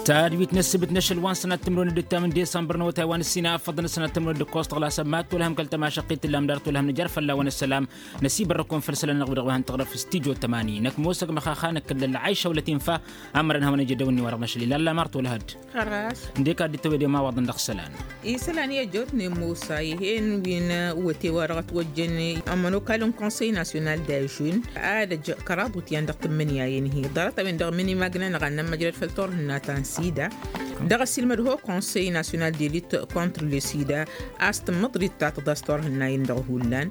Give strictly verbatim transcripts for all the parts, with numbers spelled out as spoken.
Tadwit n-ăssǝbǝt n-ašăl wa n-sănat timǝrwen d-ǝttam n-disămbăr n-awătay wa n-ǝssin a ăffăḍăn ăsănat timǝrwen d-ǝkkoẓ tăɣlasăn ma t-tolhăm kăl-tămašăqqit tǝllam dar tolhăm nǝjăr fălla-wen ăssălam. Năsibărrăkun făll-isălan-nănăɣ wi dăɣ-wi hăn tăɣrăf s-tijo tămani năkk mosăg măxaxa năkkăllăl lăɣayša wălăt infa. Ămărăn hawăn-ejădăw-ni wa dăɣ-năšăl ilalla mar tolhăd. Ăndek ad-dd-tăwedem a-wa ḍăn dăɣ-isălan. Isălan i-ăjjootnen musa ih'-en wi n-wăte wa dăɣ-ătwăjjăn ămănokal n-konsăy nasyonal d-ažun ad-ăj kăraḍ wǝtyan dăɣ-tǝmmǝnǝya-en-hi ḍarăt-a-wen-dăɣ mǝnimagna n-aɣannăm măjrăd făll-turhǝnna ta n-sida. Dăɣ-ăsilmăd ho konsăy nasyonal d-elit kontr le-sida a-s tǝmmǝḍrit ta tǝḍas turhǝnna-en-dăɣ hullan.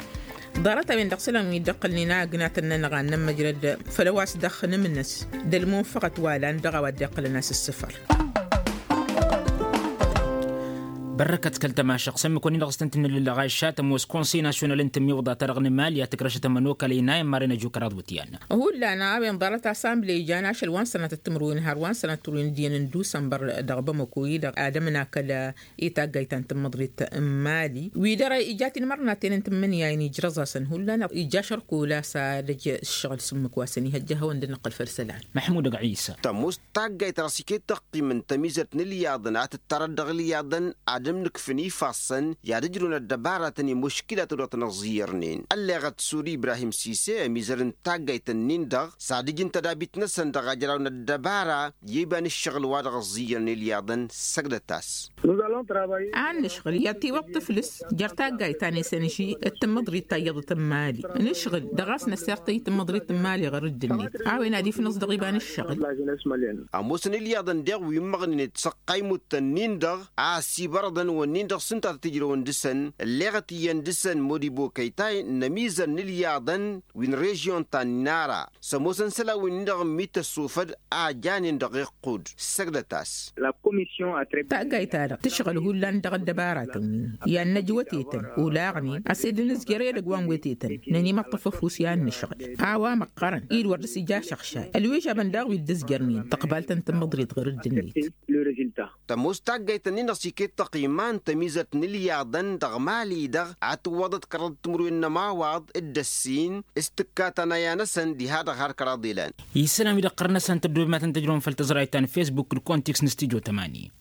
Ḍarăt-a-wen-dăɣ isălan wi dd-ăqqălnen a ăgnatăn-nănăɣ a n-nămmăjrăd făll-a-wa s-dăɣ-nǝmnăs d-ălmunfăɣăt wa lan dăɣ-a-wa dd-iqqălăn a-s ǝssǝfăr. Bărrăkăt kăl-tămašăɣ s-ămmǝk-wăn-in-dăɣ s-tăn-tǝnnǝlǝlăɣ a išat ămoos konsăy nasyonal n-tǝmmiwǝḍa-ta-dăɣ n-mali a tǝkrăšăt ămănokal ăynayăn marăn ăju kăraḍ wǝtyan. Hullan a-wen ḍarăt asambli ijan ašăl wa n-sănatăt timǝrwen har wa n-sănatăt timǝrwen d-iyyăn n-dusănbăr dăɣ-bamăko-i-dăɣ ad-ămǝn akăl i-taggayt ta n-tǝmmǝḍrit n-mali wi dăr-ija tinmărnaten n-tǝmmǝnǝya-in ijrăẓ-asăn hullan ija ašărkol a-s ad-ăj ǝššăɣǝl s-ǝmmǝk wa săn ihăjja a hawăn-dd-nǝqqǝl făll-isălan. Măḥmud ăgg-ɣisa. Tămoos taggayt dăɣ-s iket tăqqimăn tămizărt n-ǝlyaḍăn a tǝttarăt dăɣ-ǝlyaḍăn ad-ǝmnǝkfǝn ifassăn i-ad-ǝjrǝwăn ăddăbaratăn i-muškilatăn wa tăn-ăẓẓiyyărnen ălleɣăt suri ibrahim sise ămizăr n-taggayt-ǝnnin-dăɣ s-ad-ǝjǝn tădabit-năsăn dăɣ-ajraw n-ăddăbara i-iba n-ǝššăɣǝl wa dăɣ-ăẓẓiyyărnen ǝlyaḍăn. Săgdăt-as. A nǝšɣǝl i-ad-tiwǝḍ tǝflǝs jer-taggayt ta n-esănži d-tǝmmǝḍrit ta iyyăḍăt n-mali nǝšɣǝl dăɣ-a-s năsertăy tǝmmǝḍrit n-mali ɣur-dd-net a-wen ad-ifnǝẓ dăɣ-iba n-ǝššăɣǝl. Ămoosăn ǝlyaḍăn deɣ wi ǝmmăɣnen d-săqqay imuttăn-nin-dăɣ a ăsibărăḍăn wănnin-dăɣ s-ǝnta a tăt-ǝjrăwăn dăɣ-săn ǝlleɣăt iyyăn dăɣ-săn modibokăytay n-ămizăr n-ǝlyaḍăn wi n-režyon ta n-inara s-ămoosăn isălan wi n-dăɣ n-mi tăssofăd a janen dăɣ-iqqud. Săgdăt-as. Taggayt-ta-dăɣ tǝšɣǝl hullan dăɣ-ăddăbaratăn-win i-ad-năj wătetăn olaɣnen a-s ed nǝzjăr edăgg wa n-wătetăn nănimăṭṭăf ăfuss i-ad-nǝšɣǝl a-wa măqqărăn-dd wăr dăr-s ija ašăɣšay ălwižabăn daɣ wi dd-ǝzjărnen tăqbalt n-tǝmmǝḍrit ɣur-dd-net. Tămoos taggayt-ǝnnin-dăɣ s-iket tăqima n-tămizărt n-ǝlyaḍăn dăɣ-mali-dăɣ ad-tǝwwăḍăt kăraḍăt timǝrwen n-ămawaḍ d-ăssin s-tǝkka tanaya-năsăn diha-dăɣ har kăraḍ ilan. Isălan wi dăɣ-tărnăsăn tăddoobem ad-tăn-tăjrăwăm făll-tăẓrayt ta n-fesbuk d-kontiks n-stijo tămani.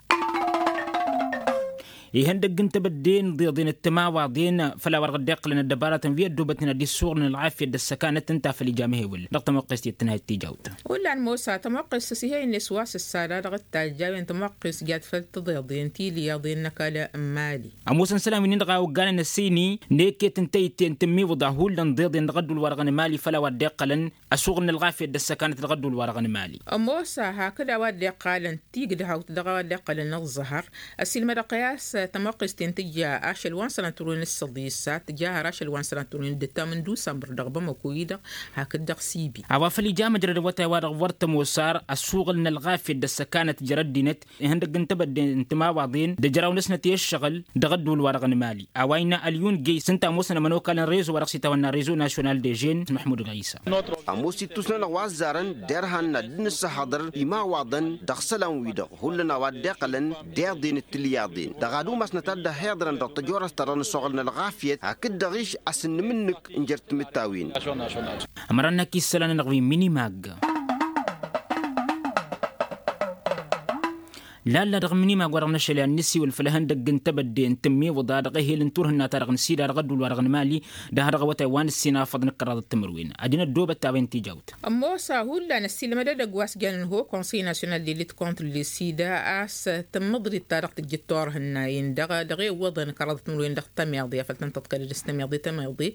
Ihăndăgg n-tebădde n-iḍeḍen d-timawaḍen făll-a-wa dăɣ-dd-iqqălăn ăddăbaratăn wi ăddoobătnen ad-dd-issuɣǝlăn ălɣafyăt d-ăssăkanăt ǝnta a făl ija amehewǝl dăɣ-tămoqqest i-ăttănhayăt tijawt. Hullan mosa tămoqqest s-ih'-e-net wa s-ǝssada dăɣ-dd-tajj a-wen tămoqqest jat făll-tiḍeḍen tiliyaḍen n-ăkall n-mali. Ămoosăn isălan wi-nin dăɣ-a oggalăn ăsini n-eket n-tăyǝtte n-tǝmmiwǝḍa hullan tiḍeḍen dăɣ-ăddul-wa-dăɣ n-mali făll-a-wa dd-iqqălăn ăsuɣǝlnăl ɣafyăt d-ăssăkanăt dăɣ-ăddul-wa-dăɣ n-mali. Ămoos a hakd a-wa dd-iqqalăn tigdăhawt dăɣ-a-wa dd-iqqălăn ăẓẓăhăr ăsilmădăɣ-t i-a-s tămoqqest-en tǝjja ašăl wa n-sănatăr wen s-săḍisa tǝjja har ašăl wa n-sănatăr wen d-ǝttam n-dusănbăr dăɣ-bamăko-i-dăɣ hakd dăɣ-sibi. A-wa făl ija măjrăd awătay wa dăɣ-wăr tămoos ar ăsuɣǝlnăl ɣafyăt d-ăssăkanăt jer-ăddinăt ihăndăgg n-tebădde n-timawaḍen d-ǝjraw-năsnăt i-ǝššăɣǝl dăɣ-ăddul-wa-dăɣ n-mali. A-wa innă ălyun gey s-ǝnta ămoosăn ămănokal n-rezo wa dăɣ-s itawănna rezo nasyonal dežen măḥmud ɣisa. Ămoos ittus-nănăɣ wa ăzzarăn derhan n-ad-dd-nǝssăhăḍăr imawaḍăn dăɣ-isălan-wi-dăɣ hullan a-wa dd-iqqălăn d-iḍen d-tilyaḍen dăɣ-ad-umasnăt ad-dd-ăhhiḍărăn dăɣ-tăjorast-ta-dăɣ n-ăsoɣălnăl ɣafyăt hakd-dăɣ-iš asǝnnǝm-nǝk n-jer-timǝttawin. Ămărăn-năk isălan-nănăɣ wi n-minimag. Lalla dăɣ-minimag wa dăɣ-năšăl i-ad-nǝsiwǝl făll-ihăndăgg n-tebădde n-tǝmmiwǝḍa dăɣ-ehel n-turhǝnna-ta-dăɣ n-sida dăɣ-ăddul-wa-dăɣ n-mali. Dăɣ-ha dăɣ-awătay wa n-ǝssin a ăffăḍ n-ǝkkăraḍăt timǝrwen ad-dd-inăddobăt a-wen tijawt. Ămoos a hullan ăssiilmăd edăgg wa s-jannen ho konsăy nasyonal d-elit kontr l-sida a-s tǝmmǝḍrit ta dăɣ-tǝjjǝt turhǝnnayen dăɣ-e-wăḍăn kăraḍăt timǝrwen dăɣ-tămiḍe afăl tăn-tăḍkălăd s-tămiḍe tămiḍe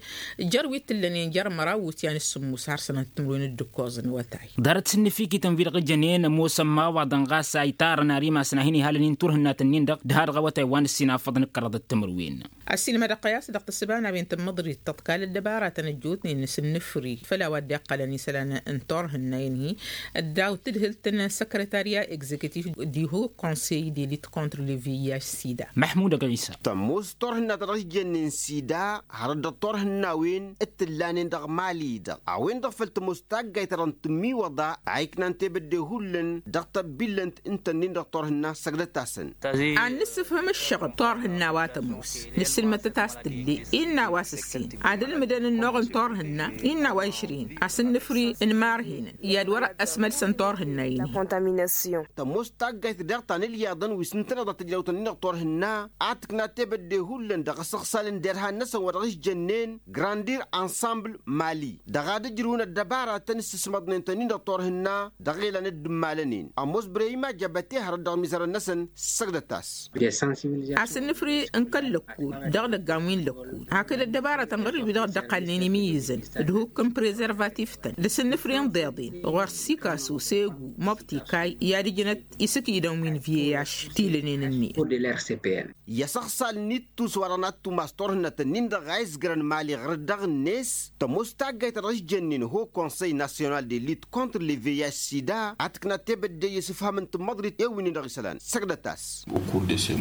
jer-wi t-ǝllănen jer-măraw wǝtyan s-sǝmmus har sănăt timǝrwen d-ǝkkoẓ n-awătay. Ḍarăt s-ǝnnǝfikităn wi-dăɣ ǝjănen ămoosăn imawaḍăn ɣas a itarăn ar imasăn a hin-ihalăn-in turhǝnnat-ǝnnin-dăɣ d-ha-dăɣ awătay wa n-ǝssin a ăffăḍ n-ǝkkăraḍăt timǝrwen. Ăssiilmădăɣ-t i-a-s dăɣ-tǝssǝba n-a-wen tǝmmǝḍrit tăḍkal ăddăbaratăn ăjjootnen s-ǝnnǝfri făll-a-wa dd-iqqălăn isălan n-turhǝnna-in-hi ăddaw-t tǝdhǝlt n-săkrătarya egzektiv d-iho konsey d-elit kontr l-vih sida. Măḥmud ăgg-ɣisa. Tămoos turhǝnna ta dăɣ-s jănnen sida hărăt dăɣ-turhǝnnawen d-tǝllanen dăɣ-mali-dăɣ a-wen-dăɣ făl tămoos taggayt ta dăɣ-n tǝmmiwăḍa a iknan tebădde hullan dăɣ-tăbbillănt ǝnta-nin dăɣ-turhǝnna. N-a săgdăt-asăn. Ad-nǝssǝfhǝm ǝššăɣǝb turhǝnna wa tămoos, nǝssǝlmăd-tăt a-s tǝlle innă a-wa s-ǝssin ad-ǝlmǝdăn ănnuɣ n-turhǝnna, innă a-wa išrin asǝnnǝfri n-imarhinăn i-ad-wăr-ăsmălsăn turhǝnna-in-hi. Tămoos taggayt deɣ ta n-ilyaḍăn wi s-ǝntăneḍ a tǝjrawt-ǝnnin-dăɣ turhǝnna ad-tǝkna tebădde hullan dăɣ-asăɣsalăn derhan-năsăn wa dăɣ-s jănnen grandir ensemble mali dăɣ-ad-ǝjrǝwăn ăddăbaratăn s-ǝsmăḍnen-tăn-in-dăɣ turhǝnna. Dăɣ-e-lan dd-ǝmmalăn-in ămoos brăyima jăbăte hărăt dăɣ-imizărăn-năsăn. Săgdăt-as. Asǝnnǝfri n-kăl-lăkkud dăɣ-idăggan wi n-lăkkud hakd ăddăbaratăn ɣur-dd wi-dăɣ dd-ăqqalnen imǝyyǝzăn d-hukk n-prezărvatif-tăn d-asǝnnǝfri n-iḍeḍen ɣur-sikasu segu măbtikay i-ad-ǝjnăt isǝkidăn wi n-viyaš tilănen-net. I-asăɣsal n-ittus wa dăɣ-nat tumas turhǝnnăt-ǝnnin-dăɣ a izgărăn mali ɣur-dd dăɣ-net tămoos taggayt ta dăɣ-s jănnen ho konsăy nasyonal de lit kontr le veyaš sida ad-tǝkna tebădde i-asǝfham n-tǝmmăḍrit i-wi-nin-dăɣ isălan săgdăt-as.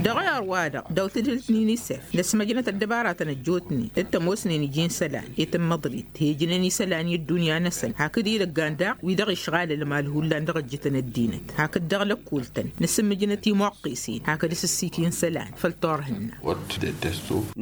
Dăɣ-ăyăr-wa-dăɣ dăw-tǝdǝlt n-inisef năsmăjnăt ăddăbaratăn ăjjootnen d-tămoosnen iji n-isălan i-tǝmmăḍrit hejnen isălan i-ăddunya-năsăn hakd idăggan daɣ wi-dăɣ išɣal ălmal hullan dăɣ-ăjjǝtăn ăddinăt hakd dăɣ-lăkkultăn nǝsǝmmǝjnăt imwăqqesen hakd s-ǝssikin isălan făll-turhǝnna.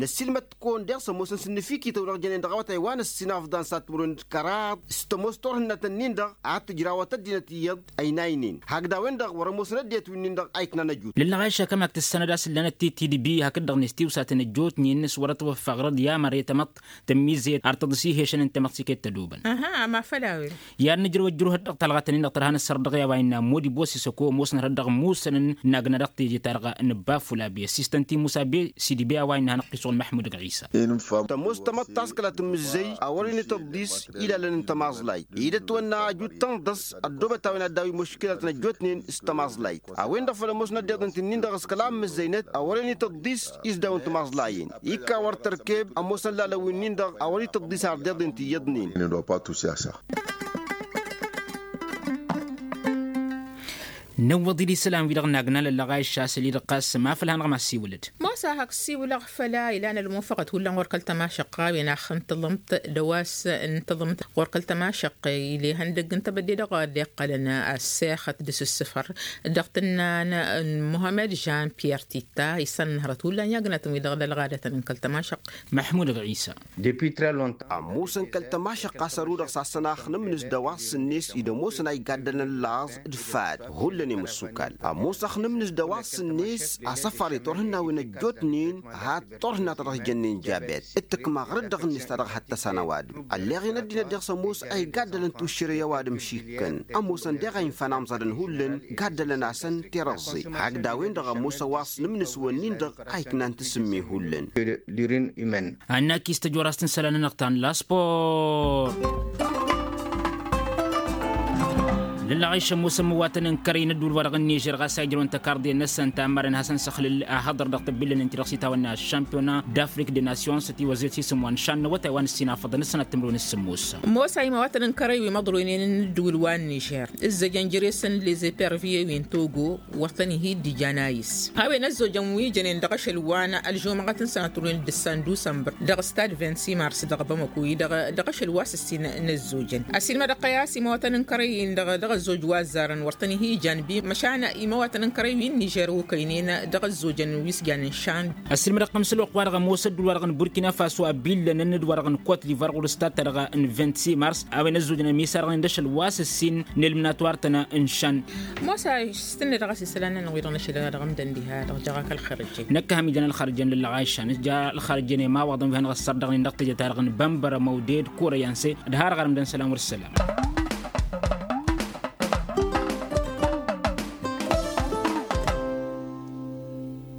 Năssiilmăt-kăwăn deɣ s-ămoosăn s-ǝnnǝfikităw dăɣ-jănen dăɣ-awătay wa n-ăssinafḍan s-ad-timǝrwen d-kăraḍ s-tămoos turhǝnnat-ǝnnin-dăɣ ad-tǝjrawăt ăddinăt iyyăḍ ăynaynen hakd a-wen-dăɣ wăr-ămoosăn ăddinăt wi-nin-dăɣ a iknan ăjut. Lăllăɣ a išakăm hak tǝssănăd a-s ǝllanăt tittidbi hakd-dăɣ n-estiwsatăn ăjjootnen s-wăr-ătwăffăɣrăd i-amăre tamăḍt tămmizzăyăt ar tăḍǝs-ih ešăn n-tamăḍt s-iket tădobăn. Aha ama făl a-wen. I-ad-nǝjrăw ăjrǝwhăd dăɣ-talɣat-nin-dăɣ tărha n-ăssărăt dăɣ-i a-wa innă modi bosisăko ămoosăn hărăt dăɣ-musănăn n-agnădăɣ teje-ta-dăɣ n-bafulabe ăssistăn timusa be sidi be a-wa innă hanăɣ-t-isɣul măḥmud ɣisa. Tămoos tamăḍt taskăla tǝmmǝzzăy a wăren ităḍḍis ilalăn n-tămaẓlayt idăt-wănna ajut tănḍăs ăddoobăt a-wen ad-daw-i muškilatăn ăjjootnen s-tămaẓlayt. A-wen-dăɣ făl ămoosnăt deḍen ti-nin-dăɣ s-kăla n-mǝzzăynăt a wăren ităḍḍis isdawăn tămaẓlayen ikka wăr tărkeb ămoosăn lalăn wi-nin-dăɣ a wăr ităḍḍis ar deḍen ti iyyăḍnen. Năwwăḍ-dd isălan-wi-dăɣ n-agna lăllăɣ a iššasăl-i-dăɣ ɣas ma făl hanăɣ-mad-siwǝlăd. Mosa hak siwǝlăɣ făl-a ilan ălmunfăɣăt hullan ɣur-kăl-tămašăqqa a-wen axăn tăḍămt d-a-wa s-n tăḍămt ɣur-kăl-tămašăqqa ile ihăndăgg n-tebădde dăɣ-a dd-iqqălăn. Ăssexăt d-asǝssǝfăr dăɣ-tǝnnan n-muhămed žan piyer titta isănnăhrăt hullan i-agnatăn-wi-dăɣ d-ălɣadătăn n-kăl-tămašăqqa. Măḥmud ɣisa. Ămoosăn kăl-tămašăqqa s-ărudăɣ s-ad-săn axnǝmnǝs d-a-wa s-net-i d-ămoosăn a igaddălăn laẓ d-fad hullan i-mǝssukal. Ămoos axnǝmnǝs d-a-wa s-net asăfar i-turhǝnnawen ăjjootnen had-turhǝnna ta dăɣ-s jănnen jabet d-tǝkma ɣur-dd dăɣ-net ta dăɣ-hăttăsan ăwadǝm. Ălleɣen ăddinăt deɣ s-ămoos a igaddălăn tušširăy ăwadǝm šikkăn ămoosăn deɣ a infan amẓadăn hullan gaddălăn-asăn tirăẓẓe hakd a-wen-dăɣ ămoos a-wa s-nǝmnǝs-wǝnnin-dăɣ a iknan tasǝmme hullan. Annakis tăjorast n-isălan-nănăɣ ta n-laspor. Lăllăɣ a išămmosăm iwatăn n-kărăy n-ădduul wa dăɣ-n nižer ɣas a ijrăwăn tăkarḍe-năsăn ta n-marăn hasăn-săxlǝl ahăḍăr dăɣ-tăbbillăn n-ti-dăɣ s-itawănna ăššampiona d-afrik de nasyons ătiwăzzet s-isǝm wa n-šan n-awătay wa n-ǝssinafăḍăn ǝssănat timǝrwen s-sǝmmos. Mosa imawatăn n-kărăy wi măḍroynen n-ǝddǝwǝl wa n-nižer ǝzzăjăn jere-săn lezăperviye wi n-togo wăr tăn-ihi dd-ijan a-s a-wen ăzzojăn wi jănen dăɣ-ašăl wa n-ălžumăɣăt n-sănatrunen d-ǝssan dusămbăr dăɣ-stad vingt-six mars dăɣ-bamăko-i dăɣ-ašăl wa s-ǝssin n-ăzzojăn. Ăsiilmădăɣ-kăy a-s imawatăn n-kărăy-in-dăɣ dăɣ-ăzzoj wa ăzzarăn wăr tăn-ihi ijan bi măšan imawatăn n-kărăy wi n-nižer okăynen dăɣ-ăzzojăn wi s-janen šan. Ăssiilmădăɣ-kăm s-ălwăqq-wa-dăɣ ămoos ădduul wa dăɣ-n burkina faso a billănăn d-wa dăɣ-n kot divar ɣur-s tattărăɣ n-vint-six mars a-wen ăzzojăn ămisarăɣnen d-ašăl wa s-ǝssin n-elmǝnat wa ărtăn n-išan. Mos a s-tǝnned ɣas isălan-nănăɣ wi-dăɣ n-ašăl dăɣ-ǝmdăn diha-dăɣ jăɣ-ak ălxărăjjăn. Năkk a ham ija n-ălxărăjjăn lăllăɣ a išan s-ja ălxărăjjăn i-mawăḍăn wi hanăɣ-ăssărdaɣnen dăɣ-teje-ta-dăɣ n-bănbărămăw ded kurăy anse d-har ɣarăm dăn-isălan wăr-isălan.